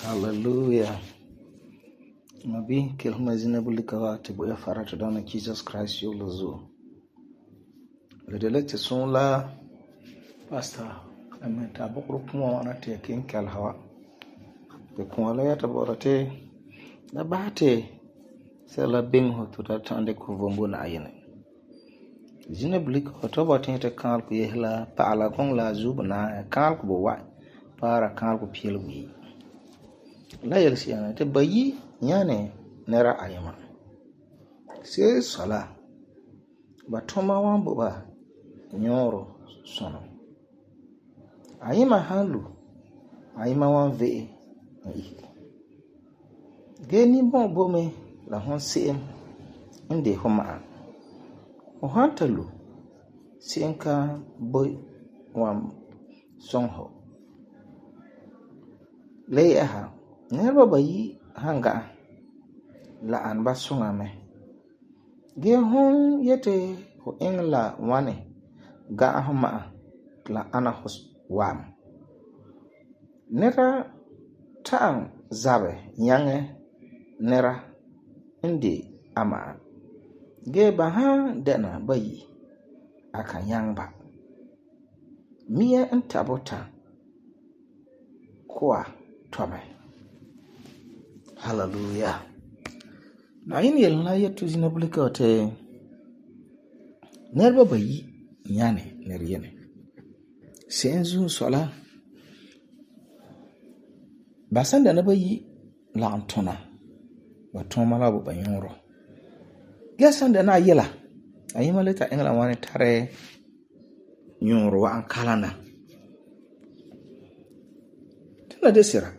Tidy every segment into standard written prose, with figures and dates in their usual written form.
Hallelujah. Mabi kelhuma zina bulika wa te bo ya fara to dana Jesus Christ yo lozo. Le de lekte son la pastor amen ta bokro kuma wana te kin kal hawa. Be kuma la ya ta bo te na bate se la bing ho to ta tande ko vombo na ayene. Zina bulika to bo te kan ko yehla paala kong la zubna kan ko bo wa para kan ko piel wi. La yelsi yana te bayi nyane nera ayama. Se sala ba toma wan bo ba nyoro sono. Ayima hanlu ayima wan ve yi. Geni bon bome la hon seem inde homa. O hantalu senka boy wan songho. Le aha nerba bayi hanga la an ba sunga me. Ge hon yete ho engla wane ga homa la ana hos wam. Nera ta'an zabe nyange nera indi ama. Ge ba ha dena bayi aka yang ba. Mia entabota kwa tome. Hallelujah. Na yin yel na yetu zina bulika te nerba bayi nyane neriyene. Senzu sola basanda na bayi la antona wa toma la bo banyoro. Gesanda na yela ayima leta engla wane tare nyoro wa ankalana. Tuna desira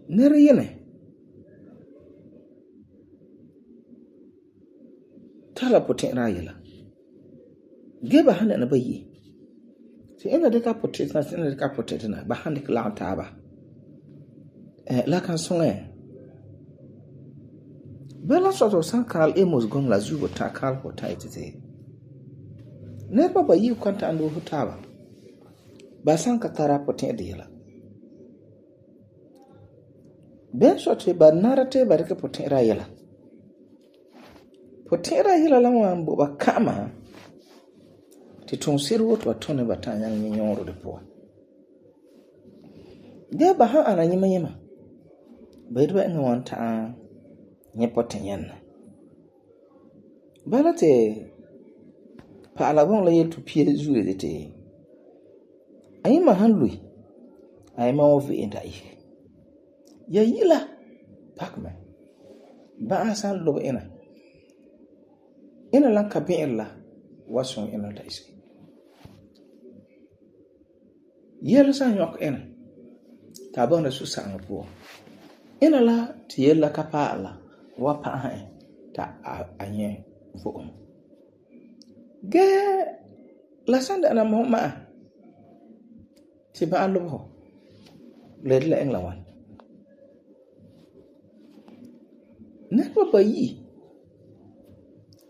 neriyene tala poten ra yela geba handa na bayi se ina de ka poten na ina de ka poten na ba handa la ta ba la kan songe bela soto sankal emos gom la zugo ta kal ko taitete nerba bayi kwanta ando hutaba ba sanka tara poten de yela ben sote ba narate ba reke poten ra yela. Poten ra yela la wan bo ba kama ti ton siru to tone ba ta nyang nyoro de po. De ba ha ana nyima nyima. Ba idba nga wan ta nye poten yan. Ba la te pa ala bon la yel to pie zuwe de te. Ayima han lui. Ayima wo vi enda yi. Ya yila pakme ba asan lobo ina lan kabin la wason ina da isi yela san yok ina ta ba na su san po ina la ti yela kapa ala wa pa ha ta anye vo ge la san da na mo ma ti ba lobo le la engla wan nerba bayi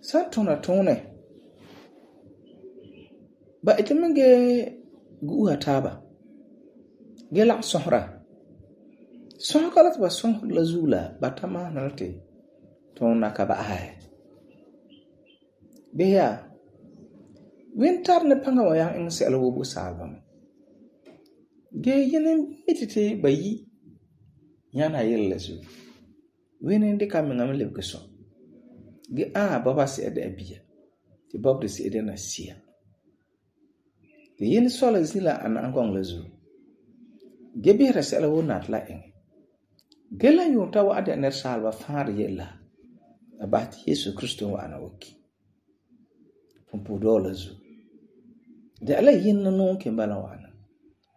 santona tone ba itemenge guha taba gela sohra sohkala ba soh la zula batama nalate tona ka ba hay beya winter ne panga wa yang en selo bu salbam ge yenen mitite bayi yana yella zu wenen de kam ngam le keso ge baba se ede abia ti bob de se ede na sia de yin sola zila an angong lezu ge bi resela wonat la en ge la yunta wa ade ner salva far yella abat Yesu Kristo wa ana woki pompo do lezu de ala yin no ke bala wana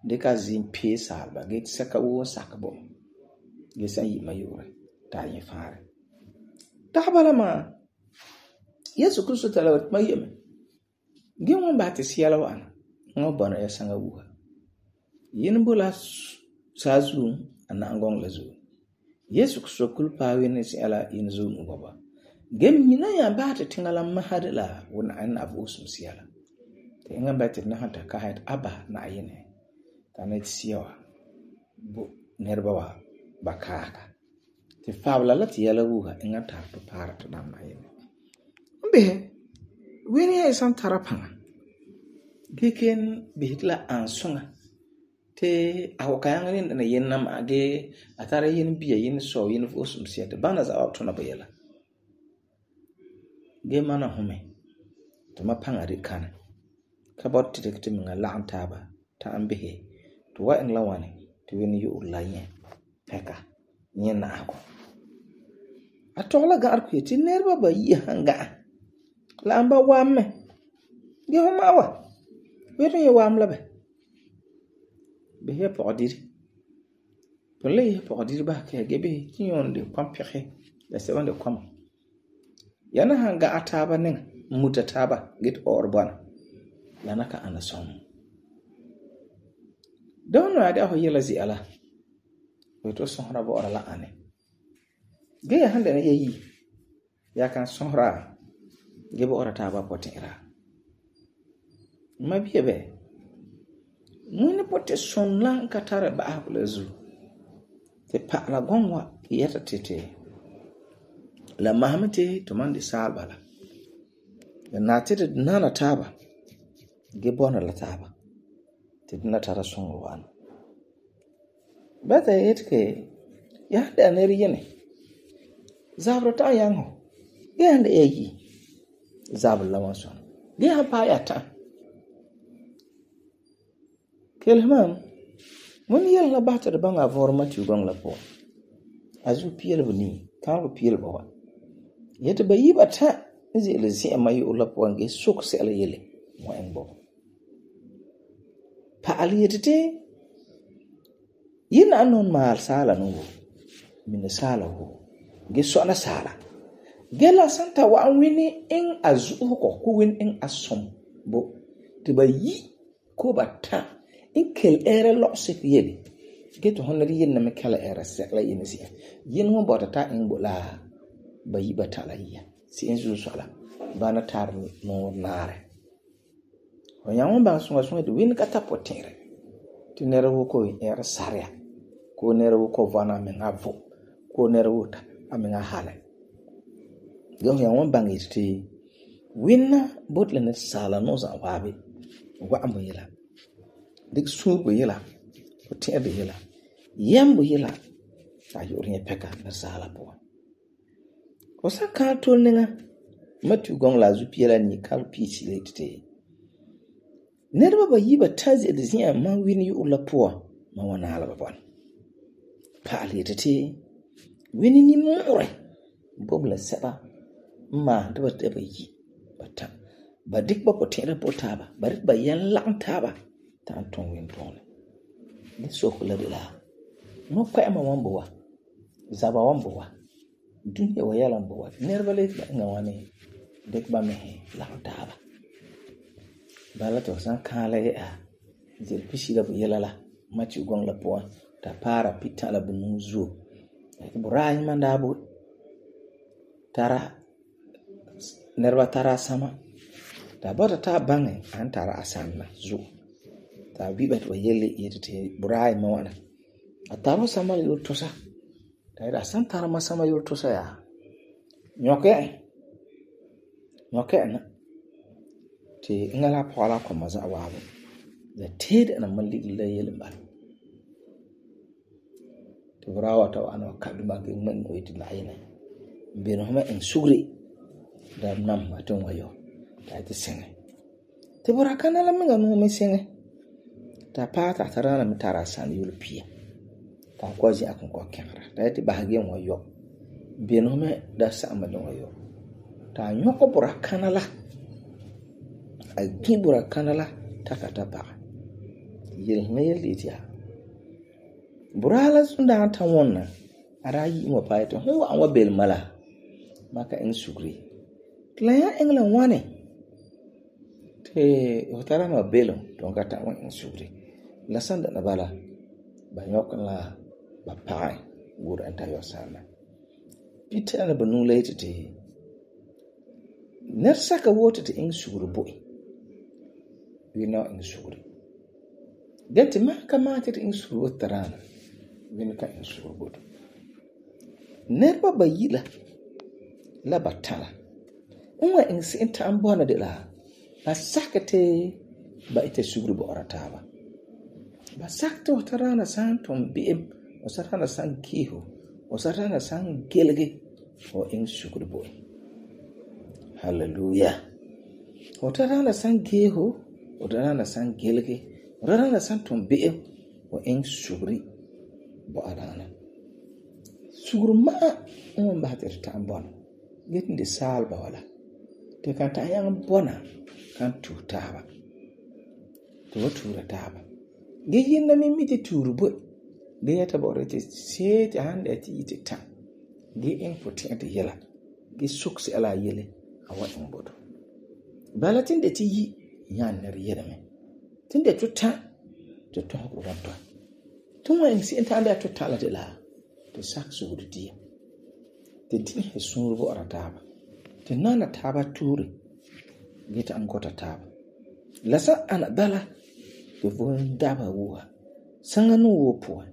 de ka zin pe salva ge saka wo sakabo ge san yi mayore ta yin fare ta bala ma Yesu Kristo talawat mayeme ge won ba te siala wana ngo bana ya sanga wuha yin bula sazu ana angong lazu Yesu Kristo kulpa wene si ala yin zu ngaba ge mina ya ba te tingala mahadala wona an abu sum siala te ngam ba te na hanta ka hat aba na ayene ta ne sia wa bo nirba wa ba kaaga ti fabla la ti yɛla wuha inga ta to para to damna yele mbehe wini ya san tara paŋa geken behit la ansonga te awakayaŋa ni na yenna ma ge atara yin biya yin so yin fosum siyate bana za awtona ba yela ge mana hume to ma paŋa ri kana ka bot ti minga la'an taaba ta ambehe to wa in la wani to wini yu la yin peka yin na ako atola ga arku ti nerba ba yi hanga la amba wamme ge homa wa weto ye wam la be he pɔgɔdiri pɔle he pɔgɔdiri ba ke ge be ti yon de kwampɛhe la se wande kwam yana hanga ataba ning muta taba get orbana lana ka ana som don na da ho yela zi ala weto sohra bo ora la ane ge ya hande ne yi ya kan sohra ge bo ora taba potera mabiye be muni pote sonla ka tare ba habla zu te pa la gonwa yata tete la mahamete to mandi salbala na tete nana taba ge bona la taba te dina tara songo wan bata yetke ya da ne riyene zabra ta yango ge ande yi zabla la wason ge ha pa ya ta kelman mun yalla bata da banga vorma ti gong la po azu piel buni ka ko piel ba wa yete ba yiba ta izi le zi mai ula po nge suk se ala yele mo en bo pa ali yete yin anon mal sala no min sala ho ge so na sala gela santa wa wini in azu ko win in asom bo te ba yi ko ba ta in kel era losse yeli get honari yin na me kala era sekla yin si yin mo bota ta in bola bayi batala yiya si in zu sala bana tar no nare o yawon ba sunga de win kata potere ti nere wo ko era saria ko nere wo ko vana me ngavo ko nere wo ta amenga hala yo yawon bangi ti winna botle ne sala no za wabe wa ambo yela dik subu yela ko tebe yela yambu yela ayo rin peka na sala po o sa ka to ninga matu gong la zu piela ni kal pisi le tete nerba ba yiba tazi de zia man wini yu la po ma wana ala ba bon pa le tete wini ni more bobla seba ma de ba te ba yi bata ba dik ba ko tere po taba ba dik ba yan lang taba ta ton win ton ni so kula de la no kwa ma wambo wa zaba wambo wa dunya wa yala mbo wa nerba le ba ngawani dek ba me la taba bala to san kala ya zil pishi da bu yala la mati gong la po ta para pitala bu nuzu burai mandabu tara nerba tara sama ta bota ta bange an tara asanna zu ta bibat wa yelle yete burai ma wana ataro sama yul tosa ta ida san tara masama yul tosa ya nyoke na ti ngala pala ko maza wawo da ted na malli la yele bal to brawa to ana kaduma ge man ko yitina ayina be no ma en sugri da nam maton wayo ta ti sene te burakana la minga no me sene ta pata tarana mi tara san yulpia ta kwazi akon ko kemara ta ti bahage wayo be no me da sama no wayo ta nyoko burakana la a gibura kanala takata ba yel meel itia burala sunda ta wonna arayi mo paito ho an wa bel mala maka en sugri klaya engla wane te hotara ma belo don kata wan en sugri la sanda na bala ba nyokon la ba pai gura anta yo sana pita na banu late te nersaka wote te en sugri boy we know in sugri Gen te ma ka maa te in suru tarana. Wini ka in suru bodo. Neriba bayi la batala. Unwa in se'em ta'an bɔna de la ba sakɛ te ba ita suguru bo'ora taaba. Ba sakɛ te tarana san tum bi'em, o tarana san kiho, o tarana san gelege o in suguru bo. Hallelujah. O tarana san geho, o tarana san gelege, o tarana san tum bi'em o in suguri bo'arana. Suguru ma'a on ba te ta'an bɔna. Getin de salba wala. Te kan ta'an yang bɔna kan tu taaba. To tuura taaba. Ge yinna mi miti tuuru bo. Ge yata bo'ore te seeti hande ti yiti ta. Ge in putin te yela. Ge suksi ala yele awa in bodo. Bala tinde ti yi yan ner yele me. Tinde tu ta to ko wanto. Tunwa in si enta anda tu ta la de la. To sak suguru dia. Te din he suru bo ara taaba. Te nana taaba tuuri. Gita an gota taaba. Lasa ana bala te von daba wuha. Sanga no wo puwa.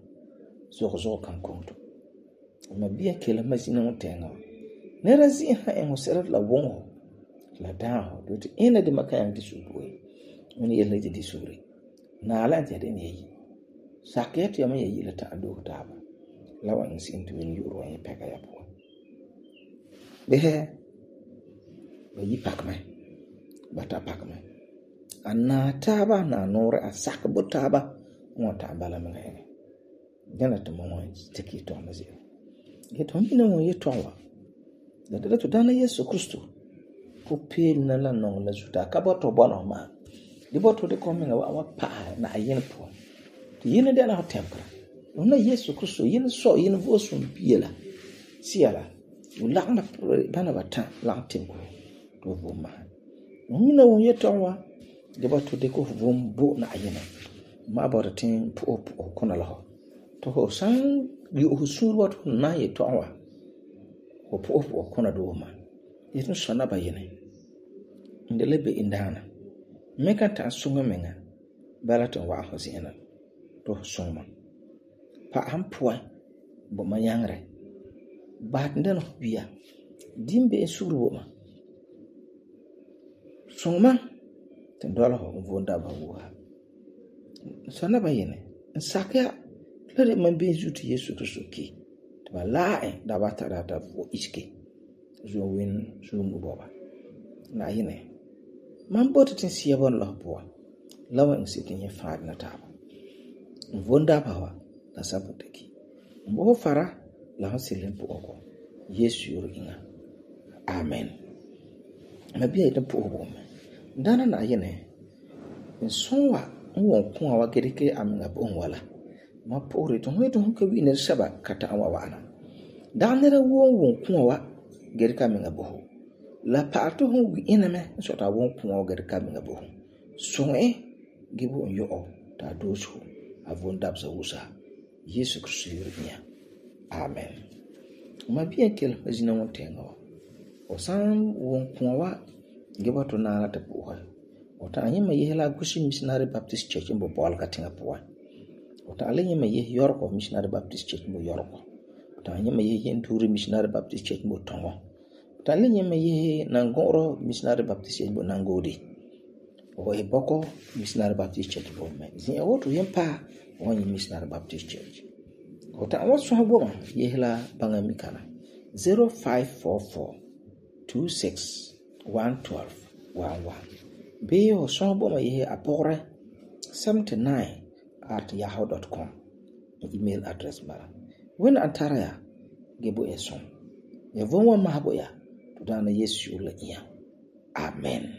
Zo kan konto. Ma biya kela mazina mo tenga. Nera zi ha en hosera la wongo. La daho. Do te ina de makayang di subuwe. Muni yele di suri. Na ala ante de ne yi. Sakiyat ya me yi la ta ado taaba. Lawa insi intu wen yuro en peka ya puwa. Behe ba yi pakme. Bata pakme. Ana taaba na nore a sakbo taaba. Mwata bala mga ene. Jana to mo teki to amazi. Get on ina mo yetowa. Da to dana Yesu Kristo. Ko pel na la non la zuta ka boto bona ma. Di boto de ko menga wa pa na ayen po. To yene de na hotemkra. Ona Yesu Kristo yene so yene vosum biela. Siala. Ulakna bana bata lang timko. To voma. Mina wo yetowa. Di boto de ko vombo na ayena. Ma bɔra tin po kona la ho to ho san yu husul wat na ye to wa ko po kona do ma yetu sona ba yene ndele be indana me kan ta sunga menga balaton wa ho sina to soma pa am po bo ma yangre ba ndeno biya dimbe suru ma soma ten dola ho vonda ba wa sana ba yene nsaka lere man bin zuti Yesu Kristo ki to ba lae da ba ta da vo iske zo win zo mu boba na yene man bota tin siya bon la po lawa in sitin ya faad na ta vonda ba wa da sabu taki mbo fara la hasilin po ko Yesu yoro inga amen mabiya ita po bo dana na yene nsonwa won kun awa gerike aminga bon wala ma pore to hoyto honka wi ne shaba kata awa wana danere won kun awa gerika aminga bo la parto hon wi iname so ta won kun awa gerika aminga bo so gibo yo ta dosu avon dabza usa Yesu Kristo yurinya amen ma bien kel majina won tenga o san won kun awa gibo to na ta bo Ota anyima yehla Gushi Missionary Baptist Church mbo bol katinga poa. Ota anyima Yorko Missionary Baptist Church mbo Yorko. Ota anyima Nturi Missionary Baptist Church mbo Tongo. Ota anyima Nangoro Missionary Baptist Church mbo Nangodi. O Eboko Missionary Baptist Church mbo me. Zin otu yempa wanyi Missionary Baptist Church. Ota awasu haboma yehla banga mikana 0544 26 112 11. Beyo son boma yehe apore 79@yahoo.com email address mara. When antaraya gebo eson. Ya vonwa mahabo ya. Tudana Yesu la iya. Amen.